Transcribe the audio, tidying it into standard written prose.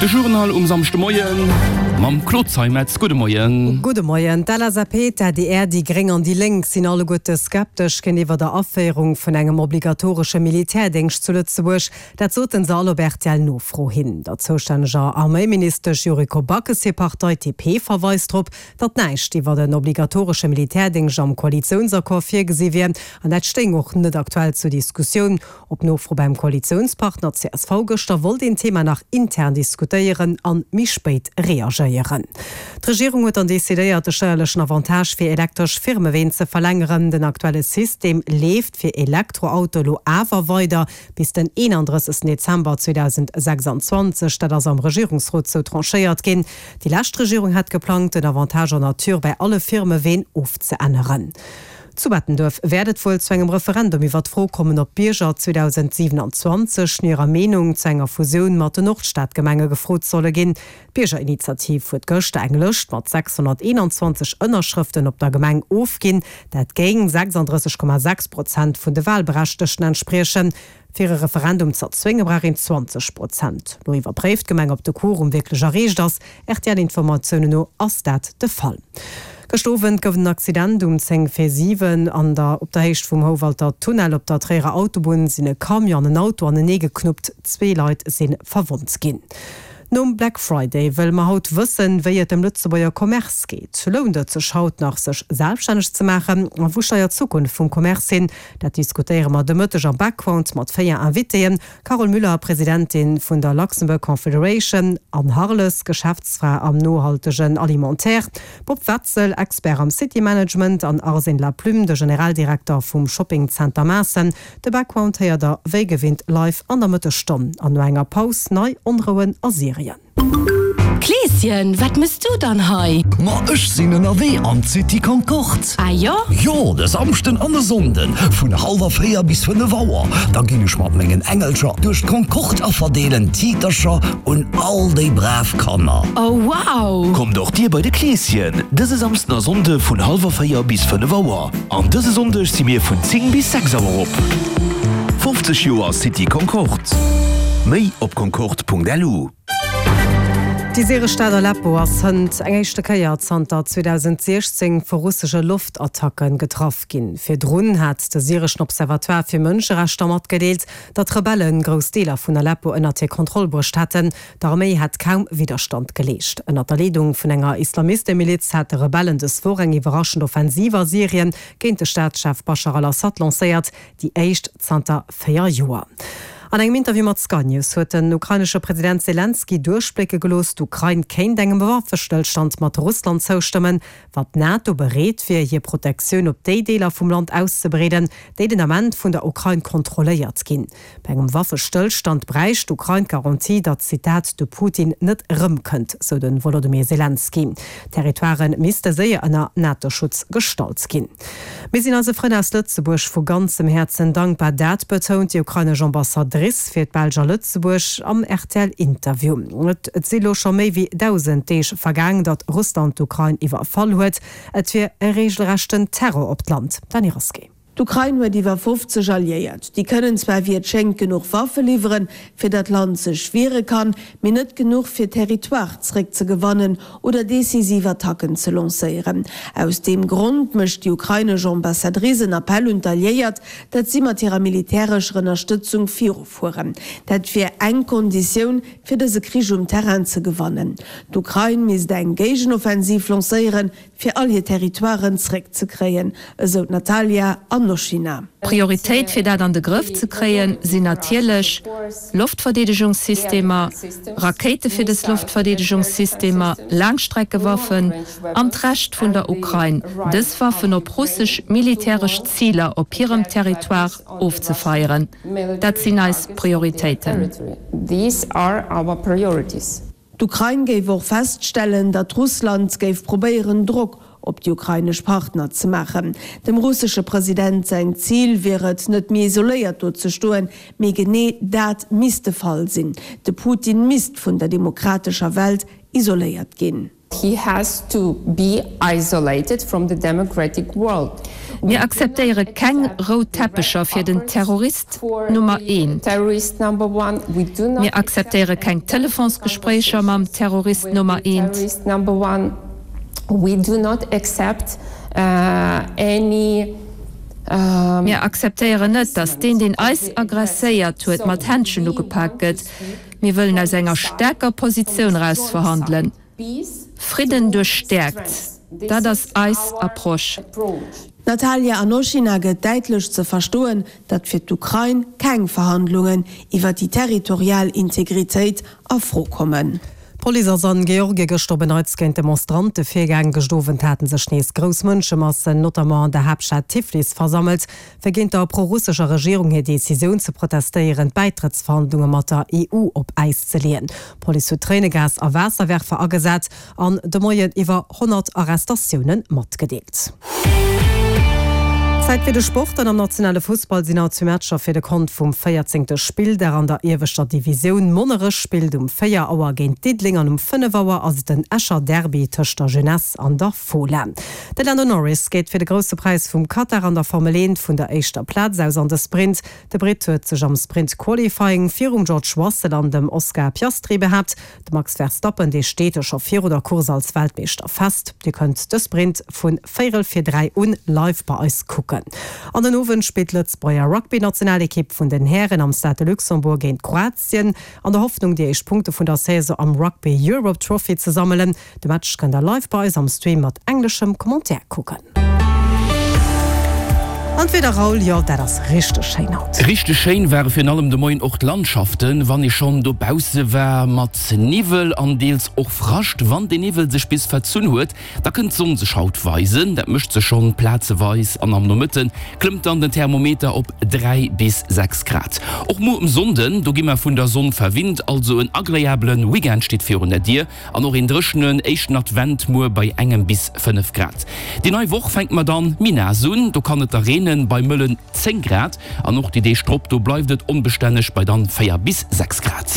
De Journal um Samschdemoien mam Claude Zeimetz. Gudde Moien. Gudde Moien. D'LSAP, d'ADR, déi Gréng an déi Lénk sinn alleguerte skeptesch géintiwwer der Aféierung vun engem obligatoresche Militärdéngscht zu Lëtzebuerg. Dat soten se all op RTL-Nofro hin. Der zoustänneger Arméiministesch Yuriko Backes hir Partei, d'DP, verweist drop, datt näischt iwwer en obligatoresche Militärdéngscht am Koalitiounsaccord virgesi wier an dat stéing och net aktuell zur Diskussioun. Op Nofro beim Koalitiounspartner csv gëschter wollt een d'Thema nach intern diskutéieren an méi spéit reagéieren. D'Regierung huet dann decidéiert, de steierlechen Avantage fir elektresch Firmeween ze verlängeren. Den aktuelle System leeft fir Elektroautoe lo awer weider bis den 31 Dezember 2026. Dat ass am Regierungsrot sou tranchéiert ginn. Déi lescht Regierung hat geplangt, den Avantage en nature bei alle Firmeween ofzeänneren. Zu Bettenduerf wäert et wuel zu engem Referendum iwwer d'Fro kommen, ob d'Bierger 2027 no hirer Meenung zu enger Fusioun mat den Nordstadgemenge gefrot solle ginn. D'Biergerinitiativ huet gëschter eng Lëscht mat 621 Ënnerschrëften op der Gemeng ofginn. Dat géing 36,6 Prozent vun de Walberechtegten entspriechen. Fir e Referendum z'erzwénge brauch een 20 Prozent. Lo iwwerpréift d'Gemeng, ob de Quorum wierklech erreecht ass. RTL-Informatiounen no ass dat de Fall. Gëscht Owend gouf et en Accident um 10 vir 7 an der op der Héicht vum Houwalter Tunnel. Op der Tréierer Autobunn sinn e Camion an en Auto anenee geknuppt. Zwee Leit si verwonnt ginn. Nom Black Friday wëlle mer haut wëssen, wéi et dem Lëtzebuerger Commerce geet. Lount et sech haut nach, sech selbstänneg ze maachen? A wou steiert d'Zukunft vum Commerce hin? Dat diskutéiere mer de Mëtteg am Background mat 4 Invitéen, Carole Müller, Presidentin vun der Luxembourg Confederation, Anne Harles, Geschäftsfra am nohaltegen Alimentaire, Bob Wetzel, Expert am City Management an Arsène Laplume, de Generaldirekter vum Shopping Center Maassen. De Background héiert der wéi gewinnt live an der Mëttesstonn an no enger Paus nei Onrouen a Syrien. Kleeschen, wat mëss du dann hei? Ma ech sinn ënnerwee an d'City Concorde. Ah jo? Jo, de Samschden an e Sonnden vun hallwer 4 bis 5 Auer. Da ginn ech mat mengen Engelcher duerch d'Concorde a verdeelen Tiitercher un all déi brav Kanner. Oh wow! Kommt och dir bei de Kleeschen dëse Samsden a Sonnde vun hallwer 4 bis 5 Auer. An dëse Sonndeg si mir vun 10 bis 6 Auer op. 50 Joer City Concorde. Méi op concorde.lu. Déi syresch Stad Aleppo ass hënt eng éischte Kéier zanter 2016 vu russesche Loftattacke getraff ginn. Virdrun hat de syreschen Observatoire fir Mënscherechter matgedeelt, datt d'Rebelle grouss Deeler vun Aleppo ënnert hir Kontroll bruecht hätten. D'Arméi hätt kaum Widderstand geleescht. Ënnert der Leedung vun enger Islamistemiliz hate Rebellen dës Woch eng iwwerraschend Offensiv a Syrien géint de Staatschef Baschar al-Assad lancéiert, déi éischt zanter 4 Joer. An engem Interview mat Sky News huet den ukrainesche President Selenskyj duerchblécke gelooss, d'Ukrain kéint engem Waffestëllstand mat Russland zoustëmmen, wa d'NATO bereet wier, hir Protektioun op déi Deeler vum Land auszebreeden, déi den Ament vun der Ukrain kontrolléiert ginn. Bei engem Waffestëllstand bräicht d'Ukrain d'Garantie, datt, Zitat, de Putin net erëmkënnt, sou de Wolodymyr Selenskyj. D'Territoirë misste séier ënner NATO-Schutz gestallt ginn. Mir sinn eise Frënn aus Lëtzebuerg vu ganzem Häerzen dankbar, dat betount déi ukrainesch Ambassadrice fir d'Belsch a Lëtzebuerg am RTL-Interview. Et si lo scho méi wéi 1.000 Deeg vergaang, datt Russland d'Ukrain iwwerfall huet. Et wier e reegelrechten Terror op d'Land. Dany Rasqué. D'Ukrain huet iwwer 50 Alliéiert. Déi kënnen zwar wéi et schéngt genuch Waffe liwweren, fir datt d'Land sech wiere kann, mee net genuch fir Territoire zréckzegewannen oder decisiv Attacken ze lancéieren. Aus deem Grond mécht déi ukrainesch Ambassadrice en Appell un d'Alliéiert, datt si mat hirer militärescher Ënnerstëtzung virufueren. Dat wier eng Konditioun, fir dëse Krich um Terrain ze gewannen. D'Ukrain misst eng Géigenoffensiv lancéieren, fir all hir Territoiren zréckzekréien, esou d'Natalia Anoschina. Prioritéit fir dat an de Grëff ze kréien, sinn natierlech Loftverdeedegungssystemer, Rakéite fir des Loftverdeedegungssystemer, Laangstreckewaffen an d'Recht vun der Ukrain, dës Waffen op russesch militäresch Ziler op hirem Territoire ofzefeieren. Dat sinn eis Prioritéiten. D'Ukrain géif och feststellen, datt Russland géif probéieren, Drock op déi ukrainesch Partner ze maachen. Dem russesche President säin Zil wier et, net méi isoléiert do ze stoen, mee genee dat misst de Fall sinn, De Putin misst vun der demokratescher Welt isoléiert ginn. He has to be isolated from the democratic world. Mir akzeptéiere keng rout Teppecher fir den Terrorist Nummer eent. Mir akzeptéiere keng Telefonsgespréicher mam Terrorist Nummer eent. Mir akzeptéieren net, datt deen, deen eis aggresséiert huet, mat Händschen ugepak gëtt. Mir wëllen aus enger staarker Positioun eraus verhandelen. Fridden duerch Stäerkt, dat ass eis Approche. D'Natalia Anoschina gëtt däitlech ze verstoen, datt fir d'Ukrain keng Verhandlungen iwwer déi territorial Integritéit a Fro kommen. D'Police ass an Georgie gëschter op en Neits géint Demonstrante virgaang. Gëscht Owend haten sech nees grouss Mënschemassen, notamment an der Haaptstad Tiflis, versammelt, fir géint der prorussescher Regierung hir Decisioun ze protestéieren, d'Bäitrëttsverhandlunge mat der EU op Äis ze leeën. D'Police huet Tréinegas a Waasserwerfer agesat an de Moien iwwer 100 Arrestatioune matgedeelt. Zäit fir de Sport an am nationale Fussball sinn haut zwee Matcher fir de Kont vum 14. Spilldag an der ieweschter Divisioun. Monnerech spillt um 4 Auer géint Diddeleng an um 5 Auer ass et den Escher Derby tëscht der Jeunesse an der Fola. De Lando Norris geet fir de Grousse Präis vum Katar an der Formel 1 vun der éischter Plaz aus an de Sprint. De Britt huet sech am Sprint Qualifying virum George Russell an dem Oscar Piastri behaapt. De Max Verstappen, dee steet scho viru der Course als Weltmeeschter fest. Dir kënnt de Sprint vu véierel vir 3 un live bei eis kucken. An den Owend spillt d'Lëtzebuerger Rugby-Nationalekipp vun den Hären am Stade de Luxembourg géint Kroatien, an der Hoffnung déi éischt Punkte vun der Saison am Rugby Europe Trophy ze sammelen. De Match kënnt der live bei eis am Stream mat engleschem Commentaire kucken. An d'Wieder Raoul, jo dat ass richteg schéin haut. Richteg schéin ware virun allem de Moien och d'Landschaften, wann ee schonn dobausse war, mat Niwwel an deels och Frascht. Wann dee Niwwel sech bis verzunn huet, da kënnt d'Sonn sech haut weisen. Dat mécht se schonn plazeweis an am Nomëtte klëmmt dann den Thermometer op 3 bis 6 Grad. Och muer um Sonnden, do gi mer vun der Sonn verwinnt, also en agreabele Weekend steet virun der Dier. An och een dréchenen éischten Advent muer bei engem bis 5 Grad. Déi nei Woch fänkt mer dann méi naass un, do kann et da reenen bei mëllen 10 Grad. An och déi Deeg drop, do bleift et onbestänneg bei dann 4 bis 6 Grad.